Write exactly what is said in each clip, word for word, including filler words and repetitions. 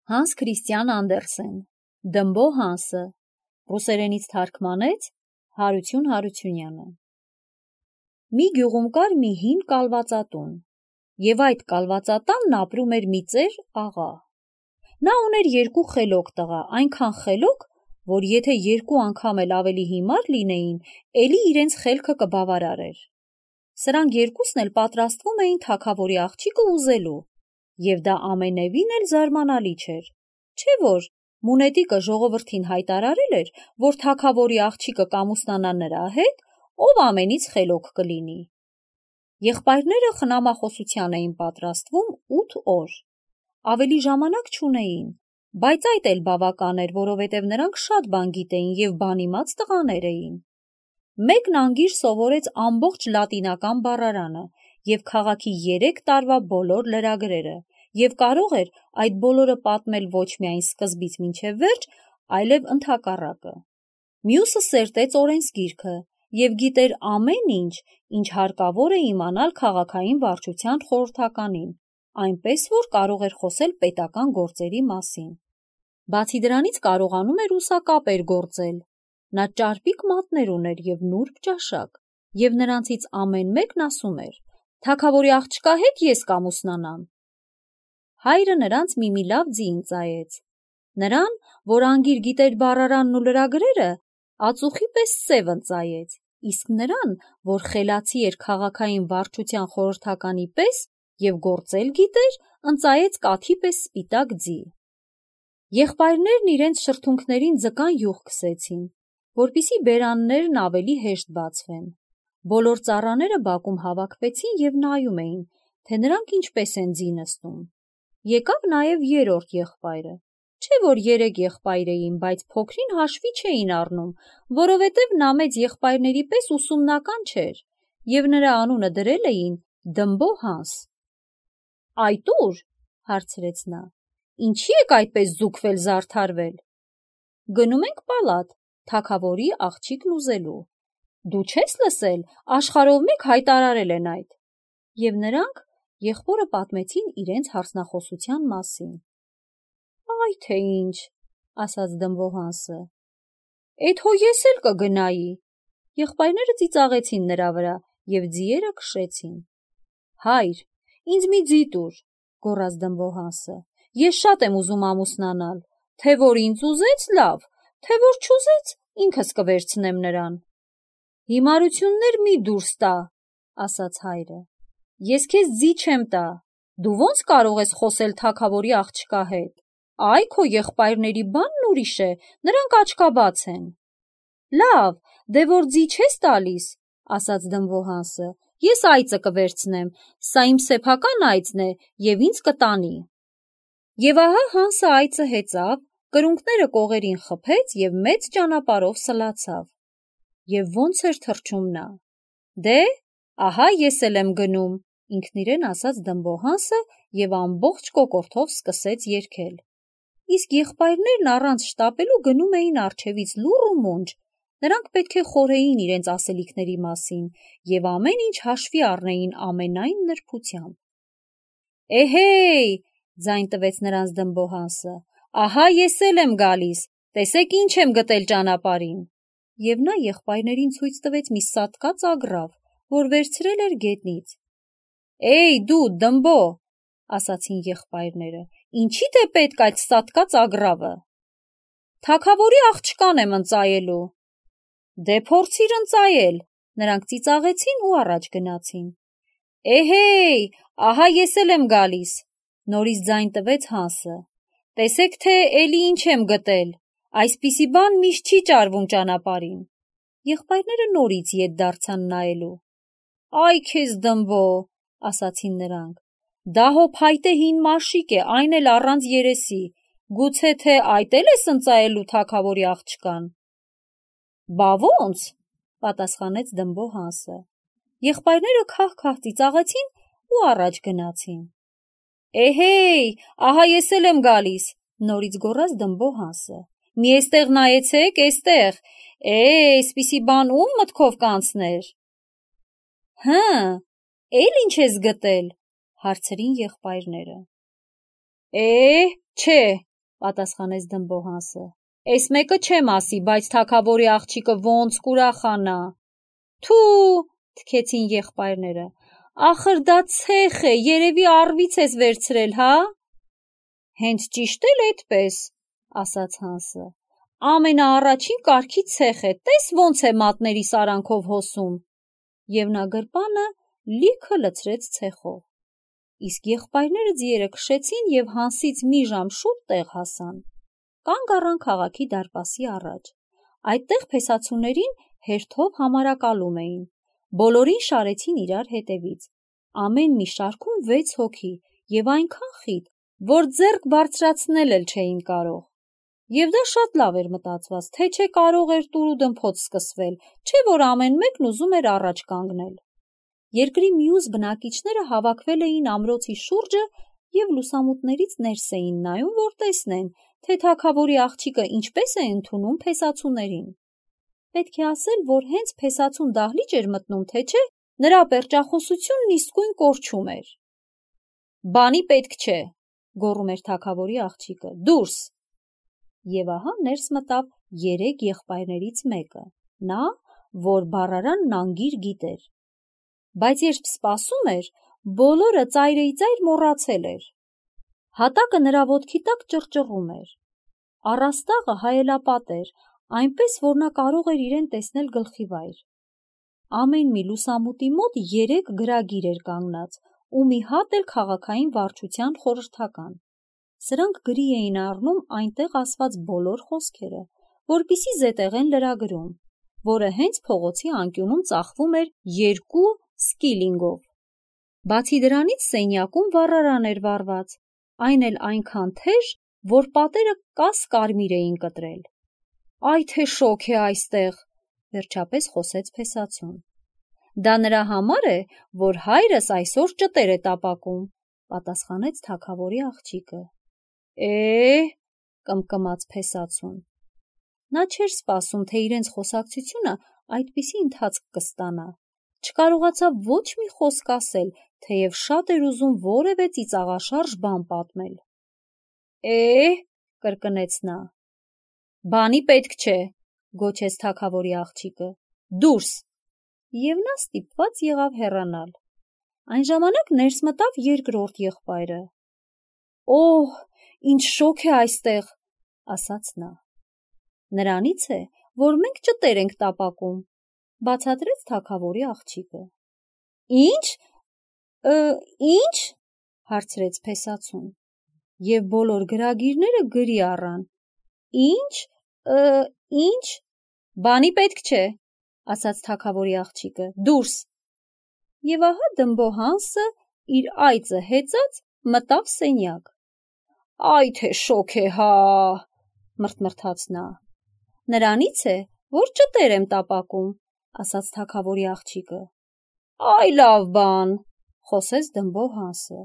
Հանս Քրիստիան Անդերսեն, Դմբո Հանսը, ռուսերենից թարգմանեց Հարություն Հարությունյանը։ Մի գյուղում կար մի հին կալվածատուն, և այդ կալվածատանն ապրում էր մի ծեր աղա։ Նա ուներ երկու խելոք տղա, այնքան խելոք, որ եթե երկու անգամ էլ ավելի հիմար լինեին, էլի իրենց խելքը կբավարարեր։ Սրանք երկուսն էլ պատրաստվում էին թագավորի աղջիկը ուզելու, և դա ամենևին էլ զարմանալի չէր, չէ՞ որ մունետիկը ժողովրդին հայտարարել էր, որ թագավորի աղջիկը կամուսնանա նրա հետ, ով ամենից խելոք կլինի։ Եղբայրները խնամախոսության էին պատրաստվում ութ օր։ Ավելի ժամանակ չունեին, բայց այդ էլ բավական էր, որովհետև նրանք շատ բան գիտեին և բանիմաց տղաներ էին։ Մեկն անգիր սովորեց ամբողջ լատինական բառարանը և քաղաքի երեք տարվա բոլոր լրագրերը, և կարող էր այդ բոլորը պատմել ոչ միայն սկզբից մինչև վերջ, այլև ընդհակառակը։ Մյուսը սերտեց օրենսգիրքը և գիտեր ամեն ինչ, ինչ հարկավոր է իմանալ քաղաքային վարչության խորհրդականին, այնպես որ կարող էր խոսել պետական գործերի մասին։ Բացի դրանից կարողանում էր ուսակապեր գործել։ Նա ճարպիկ մատներ ուներ և նուրբ ճաշակ, և նրանցից ամեն մեկն ասում էր. «Թագավորի աղջկա հետ ես կամուսնանամ»։ Հայրը նրանց մի-մի լավ ձին ծայեց։ Նրան, որ անգիր գիտեր բառարանն ու լրագրերը, ածուխի պես սև ընծայեց, իսկ նրան, որ խելացի էր քաղաքային վարչության խորհրդականի պես և գործել գիտեր, ընծայեց կաթի պես սպիտակ ձի։ Եղբայրներն իրենց շրթունքներին ձկան յուղ քսեցին, որպեսզի բերաններն ավելի հեշտ բացվեն։ Բոլոր ծառաները բակում հավաքվեցին և նայում էին, թե նրանք ինչպես են ձի նստում։ Եկավ նաև երրորդ եղբայրը, չէ՞ որ երեք եղբայր էին, բայց փոքրին հաշվի չէին առնում, որովհետև նա մեծ եղբայրների պես ուսումնական չէր, և նրա անունը դրել էին Դմբո Հանս։ «Այդ ո՞ւր», հարցրեց նա, «ինչի եք այդպես զուգվել-զարդարվել»։ «Գնում ենք պալատ, թագավորի աղջիկն ուզելու։ Դու չե՞ս լսել, աշխարհով մեկ հայտարարել են այդ»։ Եվ նրանք եղբորը պատմեցին իրենց հարսնախոսության մասին։ «Այ թե ինչ», ասաց Դմբո Հանսը, «էդ հո ես էլ կգնայի»։ Եղբայրները ծիծաղեցին նրա վրա և ձիերը քշեցին։ «Հայր, ինձ մի ձի տուր», գոռաց Դմբո Հանսը, «ես շատ եմ ուզում ամուսնանալ, թե որ ինձ ուզեց, լավ, թե որ չուզեց, ինքս կվերցնեմ նրան»։ «Հիմարություններ մի դուրս տա», ասաց հայրը, «ես քեզ ձի չեմ տա, դու ո՞նց կարող ես խոսել թագավորի աղջկա հետ։ Այ քո եղբայրների բանն ուրիշ է, նրանք աչքաբաց են»։ «Լավ, դե որ ձի չես տալիս, ասաց Դմբո Հանսը, ես այծը կվերցնեմ, սա իմ սեփական այծն է և ինձ կտանի։ Եվ ահա Հանսը այծը հեծավ, կրունկները կողերին խփեց և մեծ ճանապարհով սլացավ։ Եվ ո՞նց էր թռչում նա։ «Դե, ահա ես էլ եմ գնում», ինքնիրեն ասաց Դմբո Հանսը և ամբողջ կոկորդով սկսեց երգել։ Իսկ եղբայրներն առանց շտապելու գնում էին առջևից լուռ ու մունջ, նրանք պետք է խորհեին իրենց ասելիքների մասին և ամեն ինչ հաշվի առնեին ամենայն նրբությամբ։ «Էհե՜յ», ձայն տվեց նրանց Դմբո Հանսը, «ահա ես էլ եմ գալիս, տեսեք ինչ եմ գտել ճանապարհին»։ Եվ նա եղբայրներին ցույց տվեց մի սատկած ագռավ, որ վերցրել էր գետնից։ «Էյ դու, Դմբո», ասացին եղբայրները, «ինչի՞դ է պետք այդ սատկած ագռավը»։ «Թագավորի աղջկան եմ ընծայելու»։ «Դե փորձիր ընծայել», նրանք ծիծաղեցին ու առաջ գնացին։ «Էհե՜յ, ահա ես էլ եմ գալիս», նորից ձայն տվեց Հանսը, «տեսեք թե էլի ինչ եմ գտել, այսպիսի բան միշտ չի ճարվում ճանապարհին»։ Եղբայրները նորից ետ դարձան նայելու։ «Այ քեզ Դմբո», ասացին նրանք, «դա հո փայտե հին մաշիկ է, այն էլ առանց երեսի, գուցե թե այդ էլ ես ընծայելու թագավորի աղջկան»։ «Բա ո՞նց», պատասխանեց Դմբո Հանսը։ Եղբայրները քահ-քահ ծիծաղեցին ու առաջ գնացին։ «Էհե՜յ, ահա ես էլ եմ գալիս», նորից գոռաց Դմբո Հանսը, «մի էստեղ նայեցեք, էստեղ, է, էսպիսի բան ո՞ւմ մտքով կանցներ»։ «Հը, էլ ինչ ես գտել», հարցրին եղբայրները։ «Է, չէ», պատասխանեց Դմբոհանսը։ Էս մեկը չեմ ասի, բայց թագավորի աղջիկը ոնց կուրախանա։ Թու, թքեցին եղբայրները։ Ախր դա ցեխ է, երևի առվից ես վերցրել, հա։ Հենց ճիշտ էլ այդպես, ասաց Հանսը։ Ամենաառաջին կարգի ցեխ է, տես ոնց է մատների սարանքով հոսում։ Եվ նա գրպանը լիքը լցրեց ցեխով։ Իսկ եղբայրները ձիերը քշեցին և Հանսից մի ժամ շուտ տեղ հասան։ Կանգ առան քաղաքի դարպասի առաջ։ Այդտեղ փեսացուներին հերթով համարակալում էին։ Բոլորին շարեցին իրար հետևից։ Ամեն մի շարքում վեց հոգի և այնքան խիտ, որ ձեռք բարձրացնել էլ չէին կարող։ Եվ դա շատ լավ էր մտածված, թե չէ կարող էր տուր ու դմփոց սկսվել, չէ որ ամեն մեկն ուզում էր առաջ կանգնել։ Երկրի մյուս բնակիչները հավաքվել էին ամրոցի շուրջը և լուսամուտներից ներս էին նայում, որ տեսնեն, թե թագավորի աղջիկը ինչպես է ընդունում փեսացուներին։ Պետք է ասել, որ հենց փեսացուն դահլիճ էր մտնում, թե չէ, նրա պերճախոսությունն իսկույն կորչում էր։ Բանի պետք չէ, գոռում էր թագավորի աղջիկը, դուրս։ Եվ ահա ներս մտավ երեք եղբայրներից մեկը, նա, որ բառարանն անգիր գիտեր։ Բայց երբ սպասում էր, բոլորը ծայրիծայր մոռացել էր։ Հատակը նրա ոտքի տակ ճռճռում էր։ Առաստաղը հայելապատ էր, այնպես, որ նա կարող էր իրեն տեսնել գլխիվայր։ Ամեն մի լուսամուտի մոտ երեք գրագիր էր կանգնած, ու մի հատ էլ քաղաքային վարչության խորհրդական։ Սրանք գրի էին առնում այնտեղ ասված բոլոր խոսքերը, որպեսզի զետեղեն լրագրում, որը հենց փողոցի անկյունում ծախվում էր երկու սկիլինգով։ Բացի դրանից սենյակում վառարան էր վառված, այն էլ այնքան թեժ, որ պատերը կաս-կարմիր էին կտրել։ Այ թե շոգ է այստեղ, վերջապես խոսեց փեսացուն։ Դա նրա համար է, որ հայրս այսօր ճտեր է տապակում, պատասխանեց թագավորի աղջիկը։ Է, կմկմաց փեսացուն։ Նա չէր սպասում, թե իրենց խոսակցությունը այդպիսի ընթացք կստանա։ Չկարողացավ ոչ մի խոսք ասել, թեև շատ էր ուզում որևէ ծիծաղաշարժ բան պատմել։ Է, կրկնեց նա։ Բանի պետք չէ, գոչեց թագավորի աղջիկը։ Դուրս։ Եվ նա ստիպված եղավ հեռանալ։ Այն ժամանակ ներս մտավ երկրորդ եղբայրը։ Օհ, ինչ շոգ է այստեղ, ասաց նա։ Նրանից է, որ մենք ճտեր ենք տապակում, բացատրեց թագավորի աղջիկը։ Ինչ, ինչ, հարցրեց փեսացուն, և բոլոր գրագիրները գրի առան։ Ինչ, ինչ, բանի պետք չէ, ասաց թագավորի աղջիկը, դուրս։ Եվ ահա Դմբոհանսը իր այծը հեծած մտավ սենյակ։ Այ թե շոգ է, հա, մրթմրթաց նա։ Նրանից է, որ ճտեր եմ տապակում, ասաց թագավորի աղջիկը։ Այ լավ բան, խոսեց Դմբոհանսը։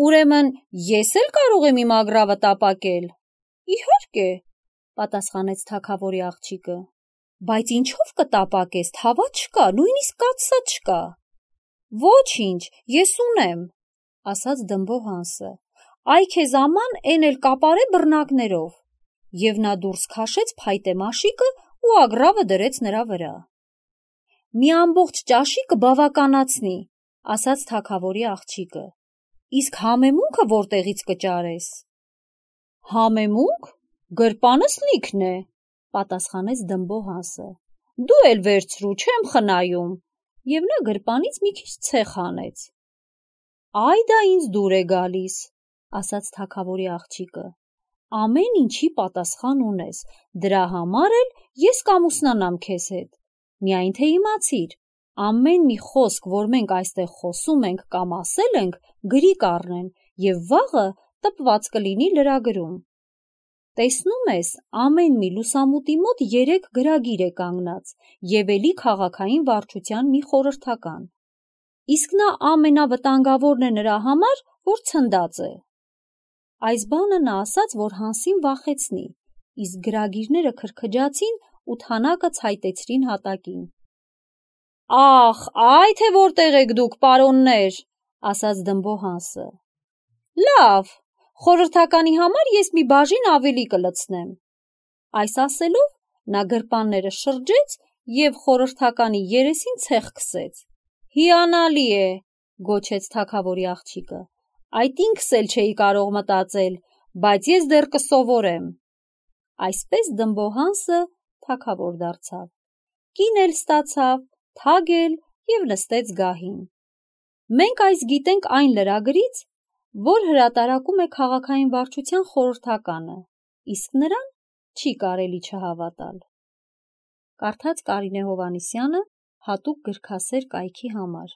Ուրեմն ես էլ կարող եմ իմ ագռավը տապակել։ Իհարկե, պատասխանեց թագավորի աղջիկը։ Բայց ինչով կտապակես, թավա չկա, նույնիսկ կաթսա չկա։ Ոչինչ, ես ունեմ, ասաց Դմբոհանսը։ Այ քեզ աման էն էլ կապարե բռնակներով։ Եվ նա դուրս քաշեց փայտե մաշիկը ու ագռավը դրեց նրա վրա։ Մի ամբողջ ճաշիկը բավականացնի, ասաց թագավորի աղջիկը։ Իսկ համեմունքը որտեղից կճարես։ Համեմունք, գրպանս լիքն է, պատասխանեց Դմբոհանսը։ Դու էլ վերցրու, չեմ խնայում։ Եվ նա գրպանից մի քիչ ցեխ հանեց։ Այ դա ինձ դուր է գալիս, ասաց թագավորի աղջիկը։ Ամեն ինչի պատասխան ունես, դրա համար էլ ես կամուսնանամ քեզ հետ։ Միայն թե իմացիր, ամեն մի խոսք, որ մենք այստեղ խոսում ենք կամ ասել ենք, գրի կառնեն և վաղը տպված կլինի լրագրում։ Տեսնում ես, ամեն մի լուսամուտի մոտ երեք գրագիր է կանգնած և էլի քաղաքային վարչության մի խորհրդական։ Իսկ նա ամենավտանգավորն է նրա համար, որ ցնդած է։ Այս բանը նա ասաց, որ Հանսին վախեցնի, իսկ գրագիրները քրքջացին ու թանակը ցայտեցրին հատակին։ Ախ, այ թե որտեղ եք դուք, պարոններ, ասաց Դմբոհանսը։ Լավ, խորհրդականի համար ես մի բաժին ավելի կլցնեմ։ Այս ասելով նա գրպանները շրջեց և խորհրդականի երեսին ցեխ քսեց։ Հիանալի է, գոչեց թագավորի աղջիկը, այդ ինքս էլ չէի կարող մտածել, բայց ես դեռ կսովորեմ։ Այսպես դմբոհանսը թագավոր դարձավ, կին էլ ստացավ, թագ էլ և նստեց գահին։ Մենք այս գիտենք այն լրագրից, որ հրատարակում է քաղաքային վարչության խորհրդականը, իսկ նրան չի կարելի չհավատալ։ Կարդաց Կարինե Հովհաննիսյանը հատուկ գրքասեր կայքի համար։